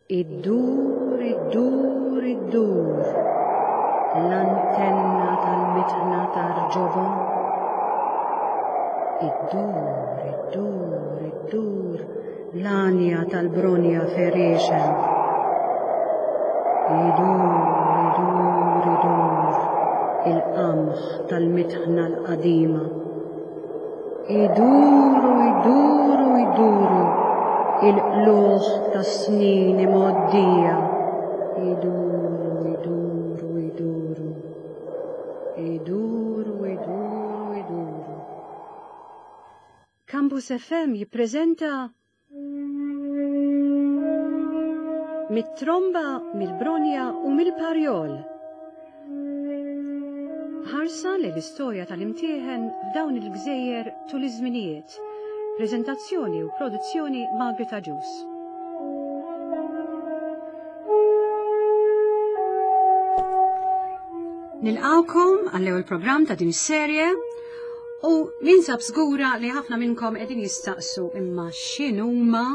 Iddur, iddur, iddur, l-antenna tal-mitħna tar-ġobon. Iddur, iddur, iddur, l-għanja tal-bronja ferixen. Idur, idur, idur, il-qamħ tal-mitħna l-qadima. Iduru, iduru, iduru, il-qlugħ tas-snin imgħoddija. Iduru, iduru, iduru. Iduru, iduru, iduru. Campus FM jippreżenta Mit-tromba, mill-bronja u mill-parjol. Ħarsa lejn l-istorja tal-imtieħen f'dawn il-gżejjer tul iż-żminijiet. Preżentazzjoni u produzzjoni Margaret Agius. Nilqawkom għall-ewwel programm ta' din is-serje U ninsab żgura li ħafna minnkom qegħdin jistaqsu imma x'inhuma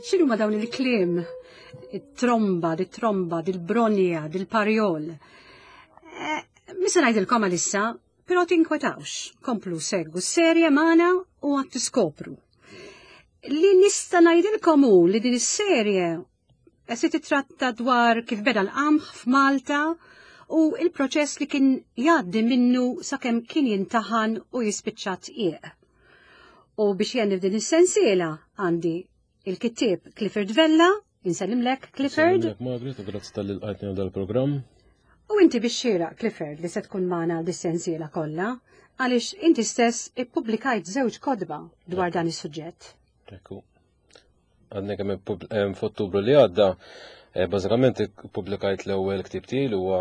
x'inhuma dawn il-kliem it-tromba, dit-tromba, dil-bronja, dil-parjol. Eh, Misa ngħidilkom għalissa, però tinkwetawx, komplu segwu s-serje magħna u għad tiskopru. Li nista' ngħidilkom hu li din is-serje Se titratta dwar kif beda l-qamħ f'Malta u il-proċess li kien jgħaddi minnu sakemm kien jintaħan u jispiċċa tqiq. U biex jenni f'din is-sensiela għandi il-kittieb Clifford Vella, insellimlek Clifford. Insellimlek Margaret u grazzi tal-li lqajtni dal-programm. U inti biex xieraq Clifford li se tkun magħna dis-sensiela kollha, għaliex inti stess ippubblikajt żewġ kotba dwar dan is-suġġett. Ekku. Għadni kemm f'Ottubru li għadda, eh, bażikament ippubblikajt l-ewwel ktieb tiegħi li huwa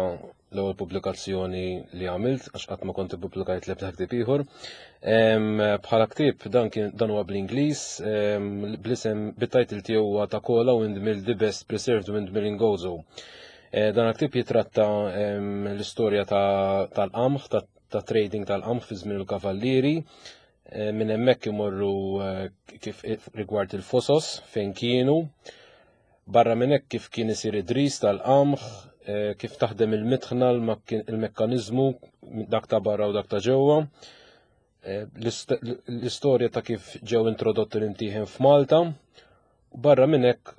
l-ewwel pubblikazzjoni li għamilt għax qatt ma kont ippubblikajt l-ebda ktieb ieħor. Bħala ktieb dan kien dan huwa bl-Ingliż, bl-isem bit-title tiegħu huwa ta' Kola Windmill The Best Preserved Windmill in Gozo. Eh, dan ktieb jitratta l-istorja tal-qamħ, ta' trading tal-qamħ fi żmien il-kavallieri, Eh, minn hemmhekk imorru eh, kif eh, rigward il-fosos fejn kienu. Barra minn hekk kif kien isir id-dris tal-qamħ, kif taħdem il-mitħna, il-mekkaniżmu dak ta' barra u dak ta' ġewwa. L-istorja ta' kif ġew introdotti l-imtieħen f'Malta. Barra minn hekk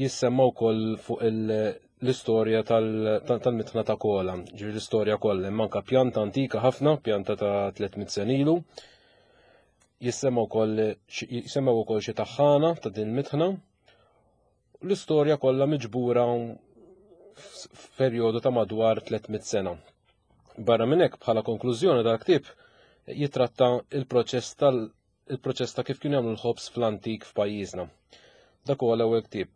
jissemma wkoll fuq l-istorja tal-mitħna ta' kola, ġifieri l-istorja kollha, hemm anke pjanta antika ħafna, pjanta ta' 300 sen ilu. Jissemma wkoll jisemmew ukoll xi taħħana ta' din il-mitħna. L-istorja kollha miġbura f'perjodu ta' madwar 300 sena. Barra minn hekk bħala konklużjoni dal-ktieb jitratta il-proċess tal- il-proċess ta' kif kienu jagħmlu l-ħobż fl-antik f'pajjiżna. Dak huwa l-ewwel ktieb.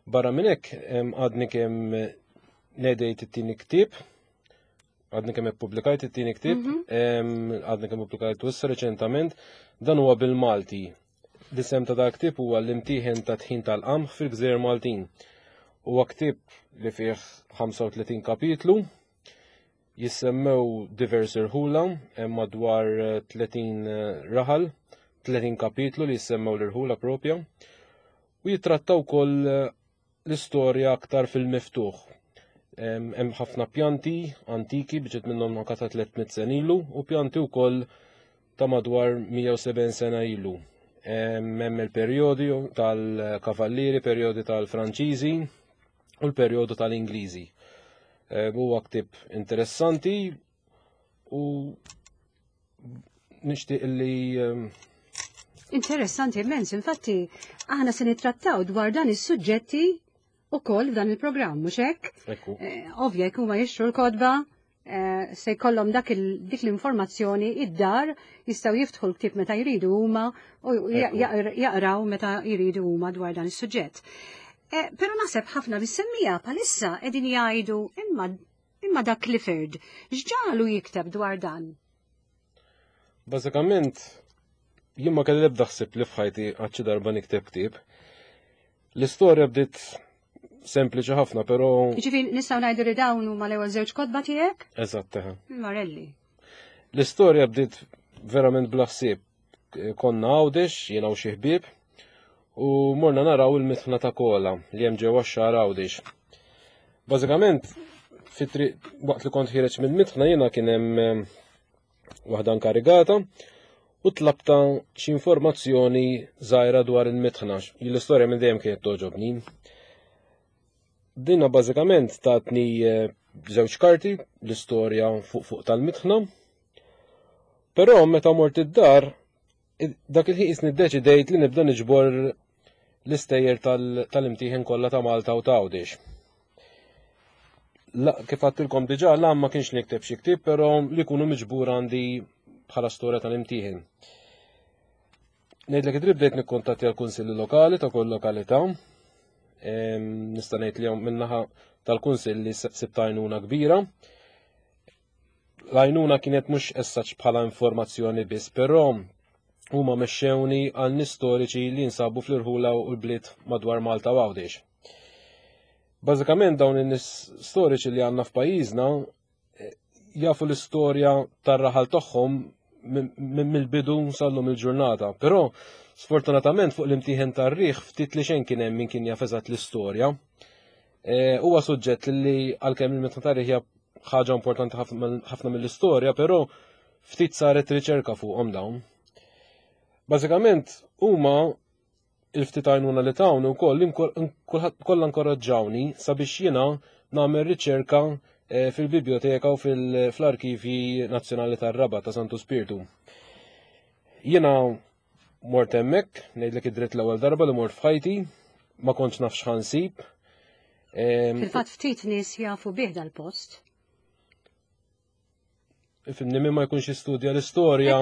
Barra minn hekk għadni kemm nedejt it-tieni ktieb, għadni kemm ippubblikajt it-tieni ktieb, mhm. għadni kemm ippubblikajt issa reċentament, dan huwa bil-Malti. L-isem ta' dak ktieb huwa l-imtieħen ta' tħin tal-qamħ fil-Gżejjer Maltin. Huwa ktieb li fih 35 kapitlu, Jissemmew diversi rħula, hemm madwar 30 eh, raħal, 30 kapitlu li jissemmew l-irħula propja, u jittrattaw wkoll eh, l-istorja aktar fil-miftuħ. Hemm ħafna pjanti antiki biġet minnhom anka ta' 300 sen ilu u pjanti wkoll ta' madwar 170 sena ilu. Hemm il-perjodi tal-kavallieri, perjodi tal-Franċiżi, u l-perjodu tal-Ingliżi. Eh, huwa ktieb interessanti u nixtieq li ehm, Interessanti immens, infatti aħna se nittrattaw dwar dan is-suġġetti ukoll f'dan il-programm, mhux hekk? Ekku. Eh, ovvja jekk huma jixtru l-kodba, Eh, se jkollhom dak dik l-informazzjoni id-dar jistgħu jiftħu l-ktieb meta jridu huma u jaqraw meta jridu huma dwar dan is-suġġett. Eh, però naħseb ħafna mis-semmija palissa qegħdin jgħidu imma imma dak Clifford x'ġalu jikteb dwar dan? Bażikament jien ma kelli l-ebda ħsieb li f'ħajti għad xi darba nikteb ktieb. L-istorja bdiet sempliċi ħafna, però. Ġifieri nistgħu ngħidu li dawn huma l-ewwel żewġ kotba tiegħek? Eżatt, eħe. Marelli. L-istorja bdiet verament bla ħsieb. Konna Għawdex, jiena u xi ħbieb, U morna naraw il-mitħna ta' Kola li hemm ġewwa x-Xagħar Għawdex. Bażikament, fit-triq waqt li kont ħireġ mill-mitħna jiena kien hemm eh, waħda inkarigata u tlabta xi informazzjoni żgħira dwar il-mitħna. L-istorja minn dejjem kienet toġobni. Dina bażikament tatni eh, żewġ karti l-istorja fuq fuq tal-mitħna. Però meta mort id-dar dak il-ħin qisni ddeċidejt li nibda niġbor l-istejjer tal-imtieħen kollha ta' Malta u ta' Għawdex. Kif għattilkom diġà, l ma kienx nikteb xi ktieb, però li jkunu miġbur għandi bħala storja tal-imtieħen. Ngħidlek id-drib bdejt nikkuntatti għal kunsilli lokali ta' kull lokalità. Nista' ngħid li minnaħa tal-kunsilli sibt għajnuna kbira. L-għajnuna kienet mhux essaċ bħala informazzjoni biss, però huma mexxewni għal nies storiċi li jinsabu fl-irħula u l-bliet madwar Malta u Għawdex. Bażikament dawn in-nies storiċi li għandna f'pajjiżna eh, jafu l-istorja tar-raħal tagħhom mill-bidu sallum il-ġurnata. Però sfortunatament fuq l-imtieħen tar-riħ ftit li xejn kien hemm min kien jaf eżatt l-istorja. Eh, huwa suġġett li għalkemm il-mitħna tar-riħ hija ħaġa importanti ħafna mill-istorja, però ftit saret riċerka fuqhom dawn. Bażikament huma il-ftit għajnuna li tawni wkoll kollha inkoraġġawni sabiex jiena nagħmel riċerka eh, fil-biblioteka u fl-Arkivji Nazzjonali tar-Rabat ta' Santu Spirtu. Jiena mort hemmhekk, ngħidlek id-dritt l-ewwel darba li mort f'ħajti, ma kontx naf x'ħansib. Fil-fatt ftit nies jafu bih dal-post. Ifimni min ma jkunx jistudja l-istorja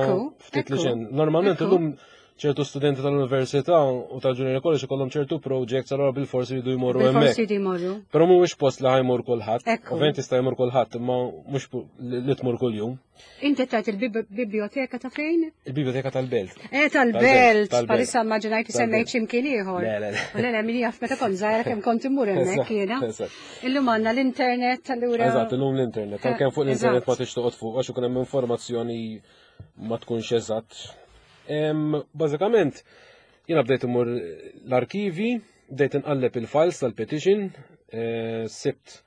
ftit li xejn. Normalment illum ċertu studenti tal-università u tal-junior college ikollhom ċertu projects allura bil-forsi jridu jmorru hemmhekk. Bil-forsi jridu jmorru. Però mhuwiex post li ħajmur kulħadd. Ovvjament jista' jmur kulħadd, imma mhux li tmur kuljum. Inti tajt il-biblioteka ta' fejn? Il-biblioteka tal-belt. Eh, tal-belt. Palissa immaġinajt semmejt x'imkien ieħor. Le, le, le. Le, min jaf meta kont żgħira kemm kont immur hemmhekk jiena. Illum għandna l-internet allura. Eżatt, illum l-internet. Eh, Kemm fuq l-internet ma tix toqgħod fuq għax ikun hemm informazzjoni ma tkunx eżatt. Bażikament, jiena bdejt immur l-arkivi, bdejt inqalleb il-files tal-petition, eh, sibt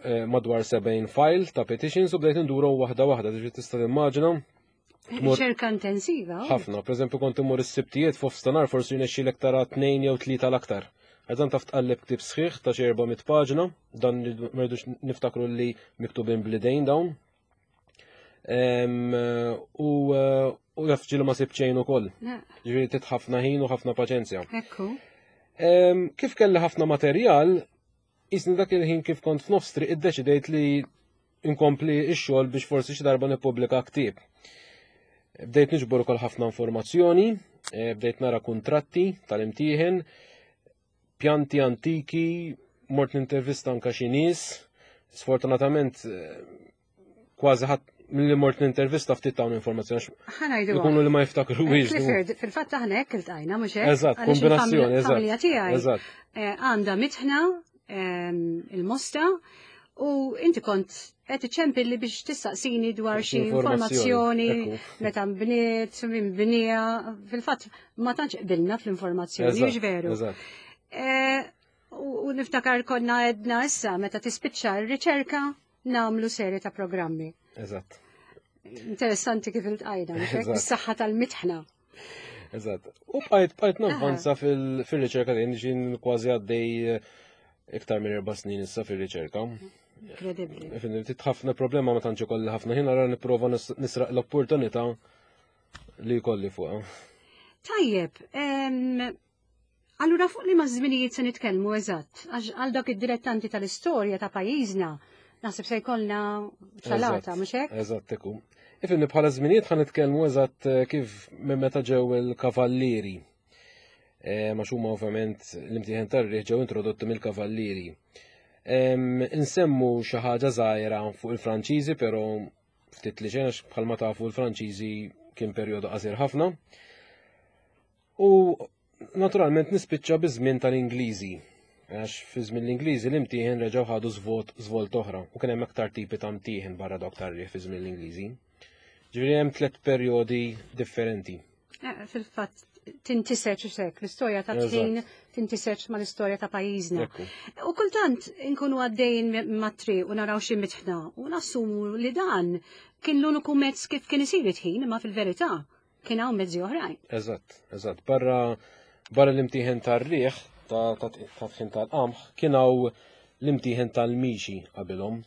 Eh, madwar 70 file ta' petitions u bdejt nduru waħda waħda, ġifieri tista' timmaġina. Riċerka intensiva. Oh. Ħafna, per eżempju kont immur is-sibtijiet f'nofstanhar forsi jnexxilek tara tnejn jew tlieta l-aktar. Għadan taf tqalleb ktib sħiħ ta' xi 400 paġna, dan ma rridux niftakru li miktubin blidejn dawn. U u jaf ġilu ma sib xejn ukoll. Ġifieri tit ħafna ħin u ħafna paċenzja. Ekku. Kif kelli ħafna materjal, Jisni dak il-ħin kif kont f'nofs triq iddeċidejt li nkompli x-xogħol biex forsi xi darba nippubblika ktieb. Bdejt niġbor ukoll ħafna informazzjoni, eh, bdejt nara kuntratti tal-imtieħen, pjanti antiki, mort nintervista anka xi nies, sfortunatament eh, kważi ħadd milli mort nintervista ftit hawn informazzjoni. Ħanajdu. Ikunu li ma jiftakru eh, Clifford, fil-fatt aħna hekk iltqajna mhux hekk. Eżatt, kombinazzjoni, eżatt. Familja tiegħi. Eżatt. Eh, għandha mitħna ehm, il-mosta u inti kont qed iċempilli biex tistaqsini dwar xi informazzjoni meta nbniet, min bnija, fil-fatt ma tantx qbilna fl-informazzjoni, mhux veru. Eh, u niftakar konna edna issa meta tispiċċa r-riċerka nagħmlu serje ta' programmi. Eżatt. Interessanti kif iltqajna, bis-saħħa tal-mitħna. Eżatt. U bqajt bqajt navvanza fil-riċerka din ġin kważi għaddej eh, iktar minn erba' snin issa fil-riċerka. Inkredibbli. Ftit ħafna problema ma tantx ikolli ħafna ħin ara nipprova nisraq l-opportunità li jkolli fuqha. Tajjeb, Allura fuq liema żminijiet se nitkellmu eżatt? Għax għal dak id-dilettanti tal-istorja ta' pajjiżna naħseb se jkollna salata, mhux hekk? Eżatt ekku. Ifhimni bħala żminijiet ħa nitkellmu eżatt eh, kif minn meta ġew il-kavallieri. Eh, ma huma ovvjament l-imtieħen tar-riħ ġew introdotti mill-kavallieri. Insemmu xi ħaġa żgħira fuq il-Franċiżi, però ftit li xejn bħalma tafu l-Franċiżi kien perjodu qasir ħafna. U naturalment nispiċċa biż-żmien tal-Ingliżi, għax fi żmien l-Ingliżi l-imtieħen reġgħu ħadu żvot żvolt oħra u kien hemm aktar tipi ta' mtieħen barra dawk tar-riħ fi żmien l-Ingliżi. Ġifieri hemm tliet perjodi differenti. Eh, fil-fatt tintiseċ xek, l-istorja ta' tħin tintiseċ ma l-istorja ta' pajjiżna. U kultant inkunu għaddejn mat-triq u naraw xi mitħna u nassumu li dan kien l-uniku mezz kif kien isir it-tħin, imma fil-verità kien hawn mezzi oħrajn. Eżatt, eżatt. Barra barra l-imtieħen tar-riħ ta' tħin tal-qamħ kien hawn l-imtieħen tal-mixi qabilhom.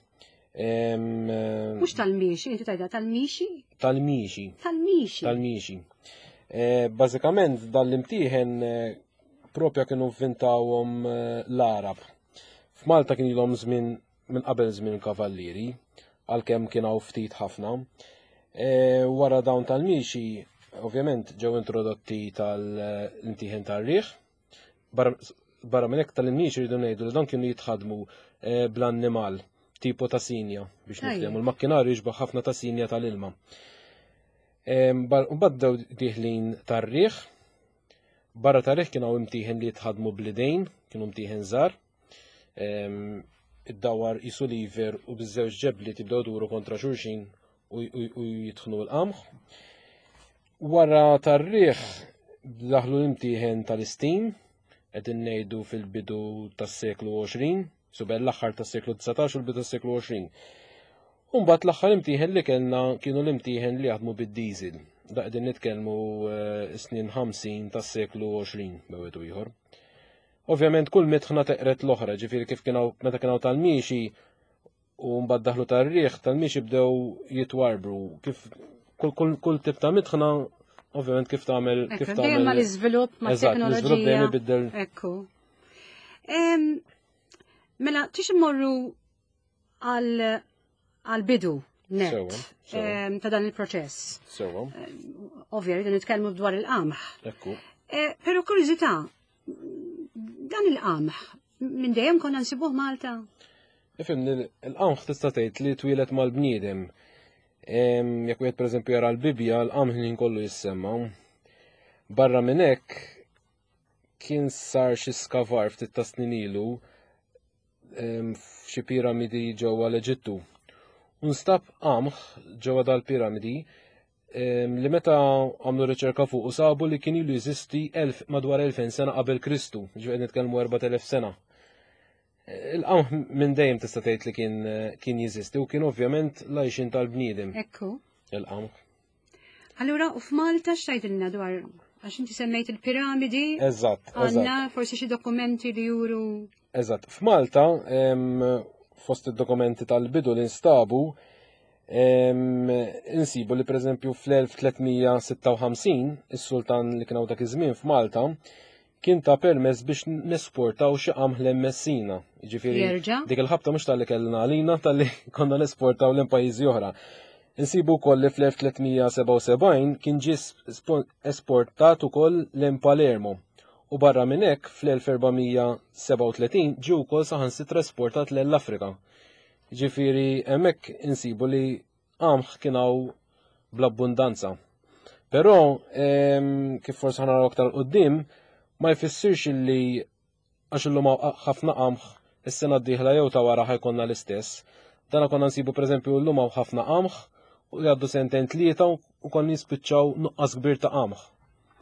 Mhux tal-mixi, inti tajda tal-mixi? Tal-mixi. Tal-mixi. Tal-mixi. Eh, bażikament dan l-imtieħen eh, propja kienu vvintawhom eh, l-Arab. F'Malta kien ilhom żmien minn qabel żmien il-Kavallieri, għalkemm kien hawn ftit ħafna. E, wara dawn tal-mixi, ovvjament ġew introdotti tal-imtieħen tar-riħ. Barra minn hekk tal-imixi rridu ngħidu li dawn kienu jitħadmu e, bl-annimal tipo ta' sinja biex niftehmu. Il-makkinarju jixbaħ ħafna ta' sinja tal-ilma. E, Mbagħad diħlin tar-riħ. Barra tar-riħ kien hawn imtieħen li jitħadmu bl-idejn, kienu mtieħen żgħar. Iddawwar qisu lever u biż-żewġ ġebli tibdew duru kontra xulxin u jitħnu l-qamħ. Wara tar-riħ daħlu l-imtieħen tal-istim, qegħdin ngħidu fil-bidu tas-seklu 20, subel l-aħħar tas-seklu 19 u l-bidu tas-seklu 20. Umbat l-aħħar imtieħen li kellna kienu l-imtieħen li jaħdmu bid-diesel. Da qegħdin nitkellmu eh, snin 50 tas-seklu 20 bejwet ieħor. Ovvjament kull mitħna teqret l-oħra, ġifieri kif kien meta kien hawn tal-miexi u mbagħad daħlu tar-riħ, tal-miexi bdew jitwarbru. Kif kull, kull, kull tip ta' mitħna ovvjament kif tagħmel kif tagħmel. Dejjem mal-iżvilupp ma' teknoloġija. Dejjem ibiddel. Ekku. Mela, tix immorru għal bidu net ta' dan il-proċess. Sewa. Ovvja, rridu nitkellmu dwar il-qamħ. Ekku. Eh, però kurżità, dan il-qamħ minn dejjem konna nsibuh Malta? Ifimni, il-qamħ tista' tgħid li twieled mal-bniedem. Jekk wieħed pereżempju jara l-Bibbja, l-qamħ li kollu jissemma. Barra minn hekk kien sar xi skavar ftit ta' snin ilu f'xi piramidi ġewwa l-Eġittu. U nstab qamħ ġewwa dal-piramidi li meta għamlu riċerka fuq u sabu li kien ilu jeżisti madwar 2000 sena qabel Kristu, ġifieri nitkellmu 4000 sena. Il-qamħ minn dejjem tista' tgħid li kien kien jeżisti u kien ovvjament l-għajxin tal-bniedem. Ekku. Il-qamħ. Allura, u f'Malta x'tgħidilna dwar għax inti semmejt il-piramidi. Eżatt. Għandna forsi xi dokumenti li juru. Eżatt. F'Malta, fost id-dokumenti tal-bidu li nstabu, insibu li pereżempju fl-1356 is-sultan li kien hawn dak iż-żmien f'Malta kien ta permess biex nesportaw xi qamħ lejn Messina. Jiġifieri dik il-ħabta mhux talli kellna għalina talli konna nesportaw lejn pajjiżi oħra. Insibu wkoll li fl-1377 kien ġie esportat ukoll lejn Palermo u barra minn hekk fl-1437 ġie wkoll saħansitra esportat lejn l-Afrika. Jiġifieri hemmhekk insibu li qamħ kien hawn bl-abbundanza. Però kif forsi ħanaraw aktar qudiem, ma jfissirx li għax illum ħafna qamħ is-sena d-dieħla jew ta' wara ħajkonna l-istess. Dana konna nsibu pereżempju llum hawn ħafna qamħ u jgħaddu sentejn tlieta u konna jispiċċaw nuqqas kbir ta' qamħ.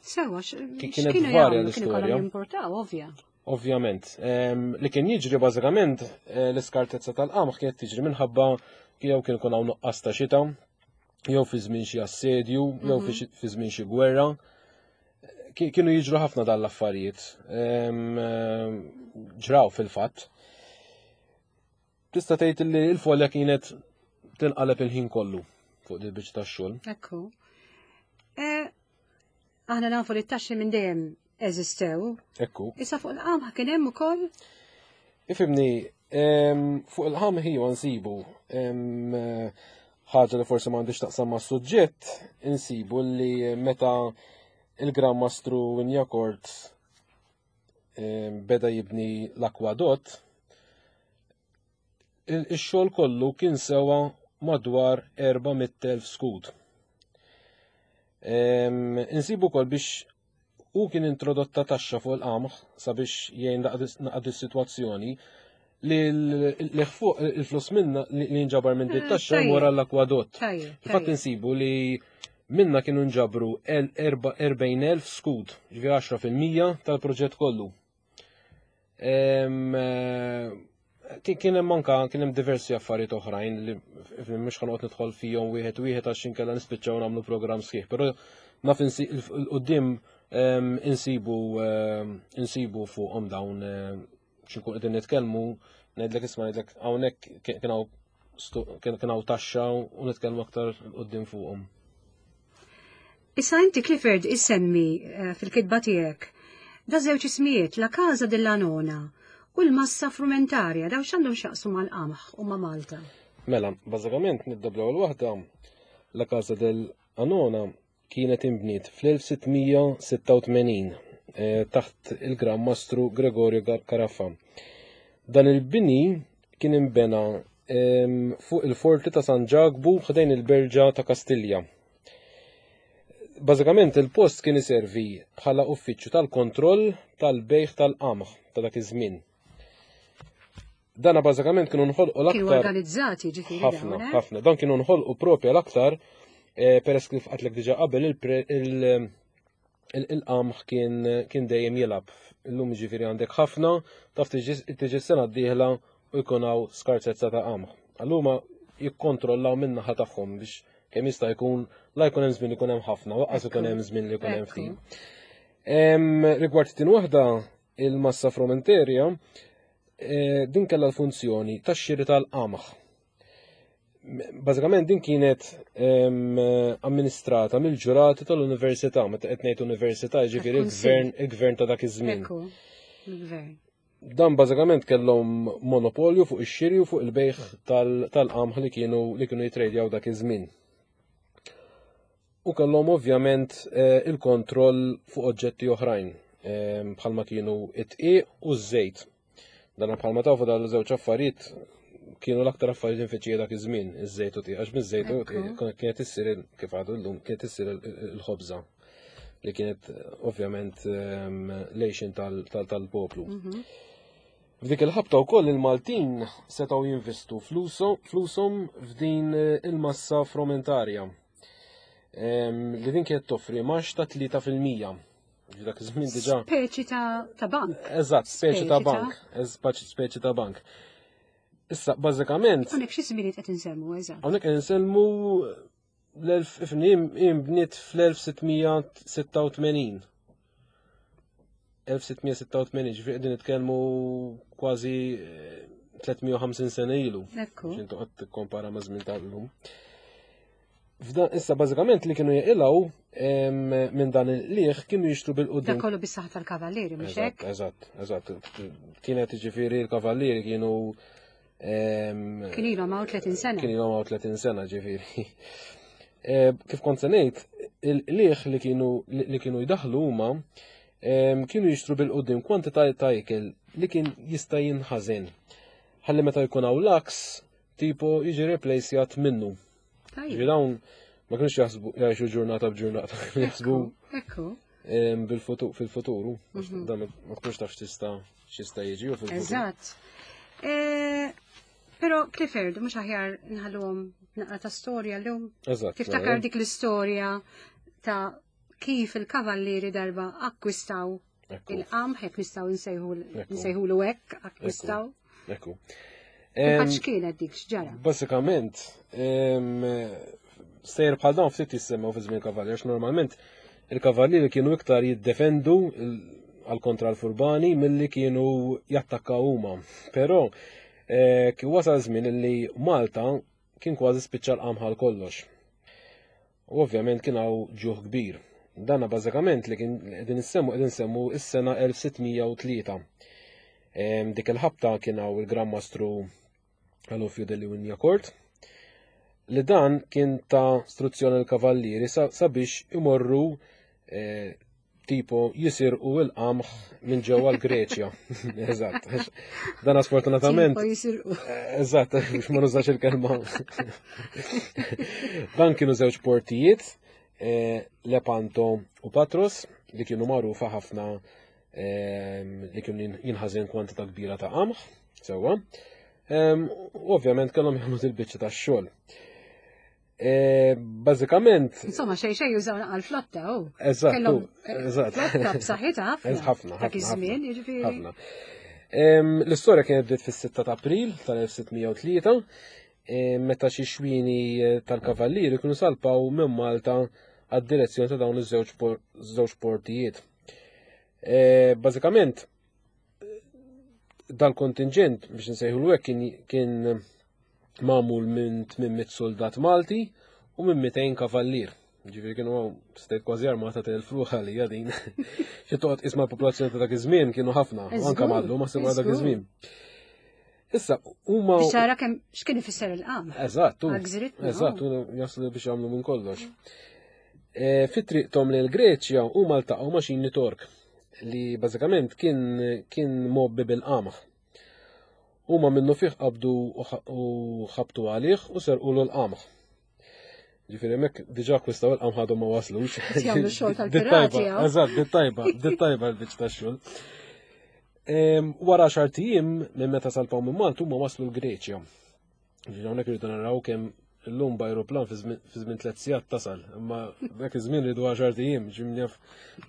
Sewa, kienet varja l-istorja. Importaw, ovvja. Ovvjament. Li kien jiġri bażikament eh, l-iskartezza tal-qamħ kienet tiġri minħabba jew kien ikun hawn nuqqas ta' xita, jew fi żmien xi assedju, jew fi mhm. żmien xi gwerra. Kienu jiġru ħafna dan l-affarijiet. Ġraw fil-fatt. Tista' tgħid li l-folja kienet tinqaleb il-ħin kollu fuq il biċċa tax-xogħol. Ekku. Eh, aħna nafu li t-taxxi minn dejjem eżistew. Ekku. Issa fuq il-qamħ kien hemm ukoll? Ifimni, fuq il-qamħ iva nsibu ħaġa li forsi m'għandix taqsam ma' suġġett, insibu li meta il-Gran Mastru Wignacourt beda jibni l-akwadott, ix-xogħol kollu kien sewa madwar 400,000 skud. Insibu wkoll biex hu kien introdotta taxxa fuq il-qamħ sabiex jgħin naqad is-sitwazzjoni li l-fuq il-flus minna li nġabar minn dit taxxa wara l-akwadott. Fatt insibu li. Minna kienu nġabru 40,000 skud, ġifieri 10% tal-proġett kollu. Eh, kien hemm anka kien hemm diversi affarijiet oħrajn li mhux ħanoqgħod nidħol fihom wieħed wieħed għax inkella nispiċċaw nagħmlu programm sħiħ, però naf il-qudiem insibu insibu fuqhom dawn x'inkun qegħdin nitkellmu ngħidlek isma' ngħidlek hawnhekk kien hawn kien hawn taxxa u nitkellmu aktar qudiem fuqhom. Issa inti Clifford issemmi eh, fil-kitba tiegħek da żewġ ismijiet la Casa della Nona u l-massa frumentarja daw x'għandhom x'jaqsmu mal-qamħ u ma' Malta. Mela, bażikament nibda bl-ewwel waħda la Casa del Anona kienet inbniet fl-1686 eh, taħt il-Gran Mastru Gregorio Caraffa. Dan il-bini kien inbena ehm, fuq il-forti ta' San Ġakbu ħdejn il-Berġa ta' Kastilja. Bażikament il-post kien iservi bħala uffiċċju tal-kontroll tal-bejħ tal-qamħ ta' dak iż-żmien. Dana bażikament kienu nħolqu l-aktar. Kienu organizzati ġifieri. Ħafna, eh? ħafna. Dan kienu nħolqu propja l-aktar eh, peress kif qatlek diġà qabel il-qamħ kien dejjem jilgħab. Illum ġifieri għandek ħafna, taf tiġi sena d-dieħla u jkun hawn skarsezza ta' qamħ. Allura jikkontrollaw min-naħa tagħhom biex kemm jista' jkun la jkun hemm żmien ikun hemm ħafna, waqqas ikun hemm żmien li jkun hemm ftit. Rigward tin waħda, il-massa frumenterja, eh, din kellha l-funzjoni tax-xiri tal-qamħ. Bażikament din kienet amministrata mill-ġurati tal-università, meta qed ngħid università, jiġifieri il-gvern il-gvern ta' dak iż-żmien. Dan bażikament kellhom monopolju fuq ix-xiri u fuq il-bejħ tal-qamħ li kienu li kienu jitrejdjaw dak iż-żmien. U kellhom ovvjament eh, il-kontroll fuq oġġetti oħrajn bħalma kienu it-tqiq u ż-żejt. Dan bħalma tafu dawn żewġ affarijiet kienu l-aktar affarijiet infittxija dak iż-żmien, iż-żejt u tqiq, għax miż-żejt u kienet issir kif għadu llum kienet issir il-ħobża li kienet ovvjament ehm, lejxin tal-poplu. Mhm. F'dik il-ħabta wkoll il-Maltin setgħu jinvestu flushom f'din il-massa frumentarja ehm, li din kienet toffri max ta' 3%. Dak iż-żmien diġà. Speċi ta' bank. Eżatt, speċi ta' bank. Speċi ta' bank. Issa, bażikament. Hawnhekk xi żminijiet qed insemmu, eżatt. Hawnhekk qed insemmu l-1000 bniet fl-1686. 1686, ġifieri qegħdin nitkellmu kważi 350 eh, sena ilu. Ekku. X'intu qed tikkompara ma' żmien tal-lum. F'dan issa bażikament li kienu jaqilgħu minn dan il-liħ kienu jixtru bil-qudiem. Dak kollu bis-saħħa tal-kavallieri mhux hekk? Eżatt, eżatt. Kienet ġifieri l-kavallieri kienu Kien ilhom hawn 30 sena. Kien ilhom hawn 30 sena ġifieri. Kif kont se ngħid, il-liħ li kienu li kienu jdaħlu huma kienu jixtru bil-qudiem kwantità ta' ikel li kien jista' jinħażen. Ħalli meta jkun hawn laks, tipo jiġi replacejat minnu. Ġifieri dawn ma kienux jaħsbu jgħixu ġurnata b'ġurnata, jaħsbu Ekku. bil-futur fil-futuru, mhm. dan ma tkunx taf x'tista' x'jista' jiġi u fil-futur. Eżatt. E, però Clifford, mhux aħjar nħalluhom naqra ta' storja llum. Eżatt. Tiftakar mela. dik l-istorja ta' kif il-kavallieri darba akkwistaw il-qamħ, jekk nistgħu nsejħulu hekk, akkwistaw. Ekku. Għax kienet dik x'ġara? Bażikament, sejjer bħal dawn ftit jissemmew fi żmien kavallier, għax normalment il-kavallieri kienu iktar jiddefendu għal kontra l-furbani milli kienu jattakkaw huma. Però eh, kien wasal żmien li Malta kien kważi spiċċa l-qamħal kollox. U ovvjament kien hawn ġuħ kbir. Dana bażikament li kien qegħdin insemmu qegħdin insemmu s-sena 1603. Dik il-ħabta kien hawn il-Gran Mastru Alofio delle Wignacourt li dan kien ta' struzzjoni l-kavallieri sabiex imorru eh, tipo jisirqu il-qamħ minn ġewwa l-Greċja. Eżatt. Dan sfortunatament. Tipo jisirqu. Eh, eżatt, biex ma nużax il-kelma. Dan kienu żewġ portijiet, eh, Lepanto u Patros, li kienu magħrufa ħafna eh, li kienu jinħażen kwantità kbira ta' qamħ, sewwa. Ehm, ovvjament kellhom jagħmlu il-biċċa tax-xogħol. E, bażikament. Insomma, xej xej jużaw naqal flotta, u. Eżatt, eh, eżatt. Flotta b'saħħitha ħafna. Ħafna, Dak iż-żmien, jiġifieri. Ħafna. L-istorja kienet bdiet fis-6 ta' April tal-1603, meta xi xwini eh, tal-kavallieri kienu salpaw minn Malta għad-direzzjoni ta' dawn iż-żewġ portijiet. Bażikament, dal-kontingent biex nsejħu l kien magħmul minn 800 soldat Malti u minn 200 kavallier. Ġifieri kienu stejt kważi armata ta' elf ruħ għalija din. Xi toqgħod isma' l-popolazzjoni ta' dak iż-żmien kienu ħafna, anke mallu ma sema dak iż-żmien. Issa, huma. Biex tara kemm x'kien ifisser il-qam. Eżatt, eżatt, jaslu biex jagħmlu minn kollox. E, Fit-triqthom lejn Greċja huma ltaqgħu ma' xini Tork li bażikament kien kien mobbi bil-qamħ. Huma minnu fih qabdu u ħabtu għalih u serqulu l-qamħ. Ġifieri hemmhekk diġà akkwistaw il-qamħ għadhom ma waslux. Jagħmlu xogħol tal-pirati. Eżatt, dit-tajba, dit-tajba l-biċċ tax-xogħol. Wara xar tijiem minn meta salpaw minn Malta huma waslu l-Greċja. Ġifieri hawnhekk irridu naraw kemm illum b'ajruplan fi żmien tliet sigħat tasal, imma dak iż-żmien ridu għaxar tijiem, ġimnjaf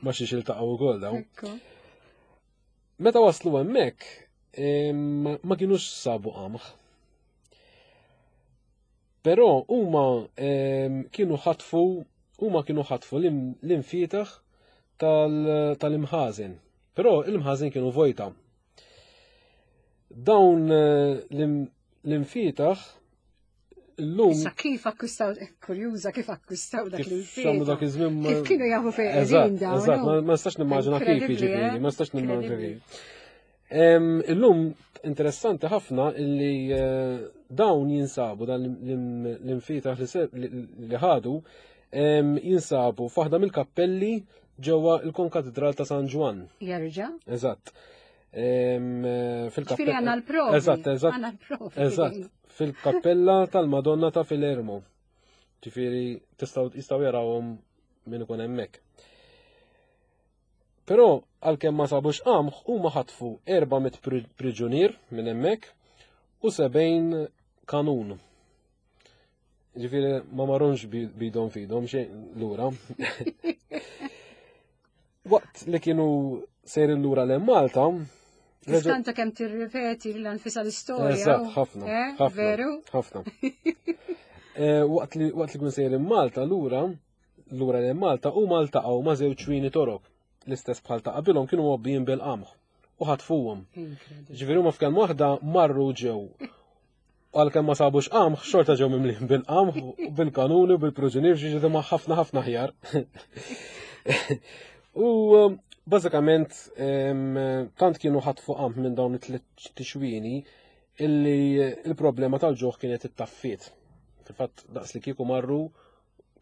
ma xiex iltaqgħu wkoll dawn. Meta waslu hemmhekk, ma kienux sabu qamħ. Però huma kienu ħatfu huma kienu ħatfu l-imfietaħ tal-imħażen. Però l-imħażen kienu vojta. Dawn eh, l-imfietaħ Illum. Issa kif akkwistaw, eh, kurjuża kif akkwistaw dak li Xamlu dak iż-żmien. Kif kienu jafu fejn qegħdin dawn. Eżatt, ma nistax nimmaġina kif jiġifieri, eh? ma nistax nimmaġina kif. Illum interessanti ħafna illi eh, dawn jinsabu dan l-infitaħ li ħadu jinsabu f'waħda mill-kappelli ġewwa il-Konkatedral ta' San Ġwann. Jerġa'? Eżatt. Fil-kappella. Għandna l-provi. Eżatt, eżatt. Eżatt. Fil-kappella tal-Madonna ta' Filermo. Ġifieri tistgħu jistgħu jarawhom min ikun hemmhekk. Però għalkemm ma sabux qamħ huma ħatfu 400 priġunier minn hemmhekk u 70 kanun. Ġifieri ma marunx bidhom fidhom xejn lura. Waqt li kienu sejrin lura lejn Malta, Tiskanta kemm tirripeti l-anfisa l-istorja. Eżatt, ħafna. Eh, veru? Ħafna. Eh, waqt li waqt li kienu sejrin Malta lura, lura lejn Malta huma ltaqgħu ma' żewġ ċwini torok. L-istess bħal ta' qabilhom kienu mgħobbijin bil-qamħ u ħatfuhom. Ġifieri huma f'kemm waħda marru ġew għalkemm ma sabux qamħ, xorta ġew mimlin bil-qamħ, bil-kanuni, bil-proġunier, ġiġi ma ħafna ħafna ħjar. U um, bażikament tant kienu ħatfu qamħ minn dawn it-tliet tixwini illi il-problema tal-ġuħ kienet it-taffiet. Fil-fatt daqs li kieku marru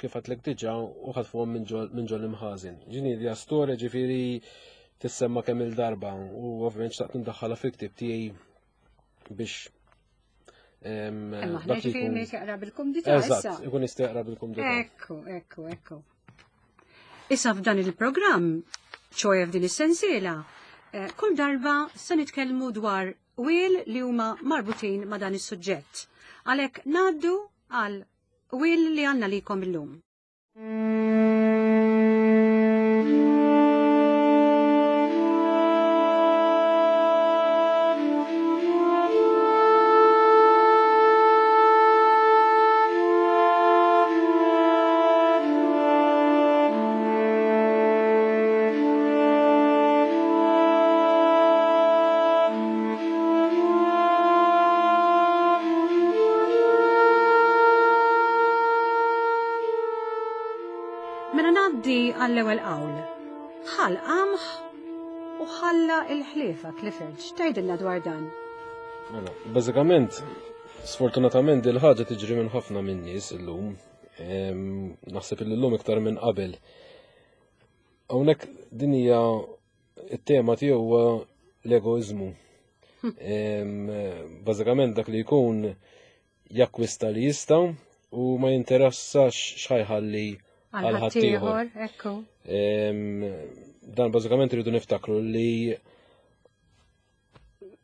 kif għatlek diġa u ħatfuhom minn ġol imħażin. Ġini li storja ġifieri tissemma kemm il-darba u ovvjament xtaqt nindaħħalha fil-ktieb tiegħi biex Imma aħna ġifieri min jaqra bil-kumdità. Eżatt, ikun jista' jaqra bil-kumdità. Ekku, ekku, ekku. Issa f'dan il-programm, ċoje f'din is-sensiela, eh, kull darba se nitkellmu dwar wil li huma marbutin ma' dan is-suġġett. Għalhekk ngħaddu għal wil li għandna likom illum. Mela ngħaddi għall-ewwel qawl. Ħal qamħ u ħalla il-ħliefa Clifford. X'tgħidilna dwar dan? Mela, bażikament, sfortunatament il ħaġa tiġri minn ħafna minn nies illum. Naħseb illum iktar minn qabel. Hawnhekk din hija it-tema tiegħu huwa l-egoiżmu. Bażikament dak li jkun jakkwista li jista' u ma jinteressax x'ħajħalli għal ħaddieħor. Dan bażikament irridu niftakru li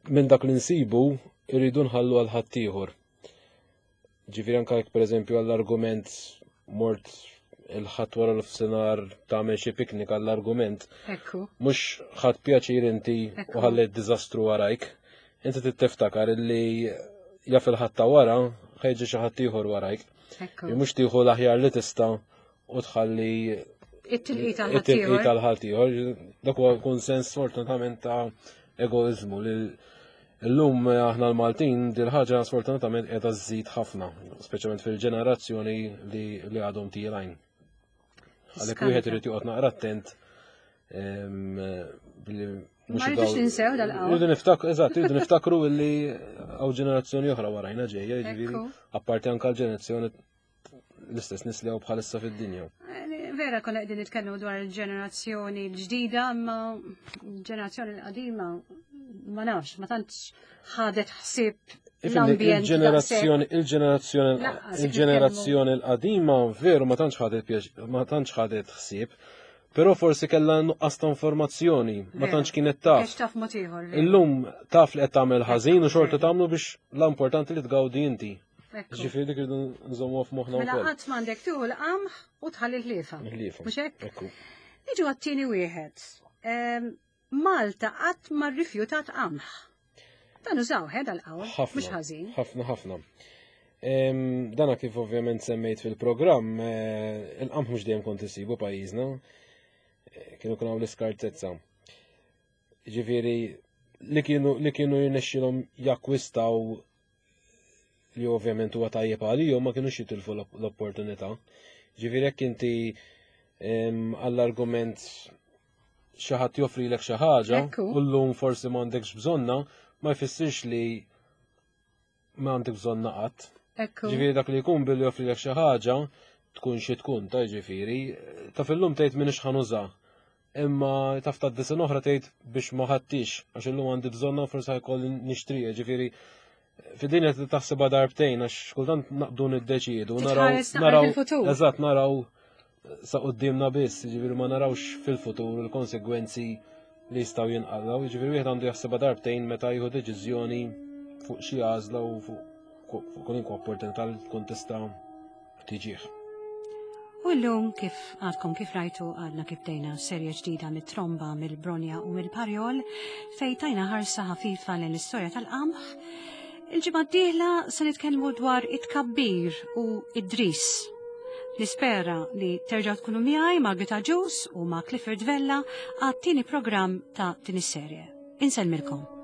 minn dak li nsibu irridu nħallu għal ħaddieħor. Ġifieri anke jekk pereżempju għall-argument mort il-ħadd wara l-fsinar tagħmel xi piknik għall-argument. Ekku. Mhux ħadd pjaċir inti u ħallejt diżastru warajk. Inti tittiftakar illi jaf il-ħadd ta' wara ħejġi xi ħadd ieħor warajk. Mhux tieħu l-aħjar li tista' u tħalli it-tilqi tal-ħadd ieħor. Dak huwa kunsens sfortunatament ta' egoizmu li Illum eh, aħna l-Maltin dil-ħaġa sfortunatament qiegħda żżid ħafna, speċjalment fil-ġenerazzjoni li, li għadhom tielgħin. Għalhekk wieħed irid joqgħod naqra attent billi Ma rridux ninsew dal-qawl. Rridu niftakru, eżatt, rridu niftakru illi hawn ġenerazzjoni oħra warajna ġejja, jiġifieri apparti anke l-ġenerazzjoni l-istess nies li hawn bħalissa fid-dinja. Eh, vera konna qegħdin nitkellmu dwar il-ġenerazzjoni l-ġdida, imma l-ġenerazzjoni l-qadima ma nafx, ma tantx ħadet ħsieb Il-ġenerazzjoni, il-ġenerazzjoni, il-ġenerazzjoni l-qadima veru ma tantx ħadet ma tantx ħadet ħsieb, però forsi kellha nuqqas ta' informazzjoni, ma tantx kienet taf. Taf mod ieħor. Illum taf li qed tagħmel ħażin u xorta tagħmlu biex l-importanti li tgawdi inti. Ġifieri dik irridu nżommu f'moħħna mela wkoll. Mela qatt m'għandek tieħu l-qamħ u tħalli l-ħliefa. Ħliefa. Mhux hekk? Niġu għat-tieni wieħed. Ehm, Malta qatt ma rrifjutat qamħ. Dan użaw ħed għal-qawl, mhux ħażin. Ħafna ħafna. Ehm, dana kif ovvjament semmejt fil-programm, eh, il-qamħ mhux dejjem kont isibu pajjiżna, eh, kienu kien l-iskartezza. Ġifieri li kienu li kienu jirnexxilhom jakkwistaw li ovvjament huwa tajjeb għalihom ma kinux jitilfu l-opportunità. Ġifieri jekk inti għall-argument xi ħadd joffrilek xi ħaġa u llum forsi m'għandekx bżonna, ma jfissirx li ma għandek bżonna qatt. Ġifieri dak li jkun billi joffrilek xi ħaġa tkun xi tkun ta' ġifieri, ta' fil-lum tgħid m'iniex ħanuża. Imma taf ta' sena oħra tgħid biex ma ħadtix għax illum għandi bżonna forsi ħajkolli nixtrija, ġifieri fid-dinja taħsibha darbtejn għax kultant naqbdu niddeċiedu naraw naraw eżatt naraw sa qudiemna biss, ġifieri ma narawx fil-futur il-konsegwenzi li jistgħu jinqalgħu, jiġifieri wieħed għandu jaħsibha darbtejn meta jieħu deċiżjoni fuq xi għażla u fuq kwalunkwe opportunità li tkun tista' tiġih. U llum kif għadkom kif rajtu għadna kif bdejna serje ġdida mit-tromba, mill-bronja u mill-parjol fej tajna ħarsa ħafifa lejn l-istorja tal-qamħ. Il-ġimgħa d-dieħla se nitkellmu dwar it-tkabbir u id-dris. Nispera li terġgħu tkunu miegħi Margit Agius u ma' Clifford Vella għat-tieni programm ta' din is-serje. Insellmilkom.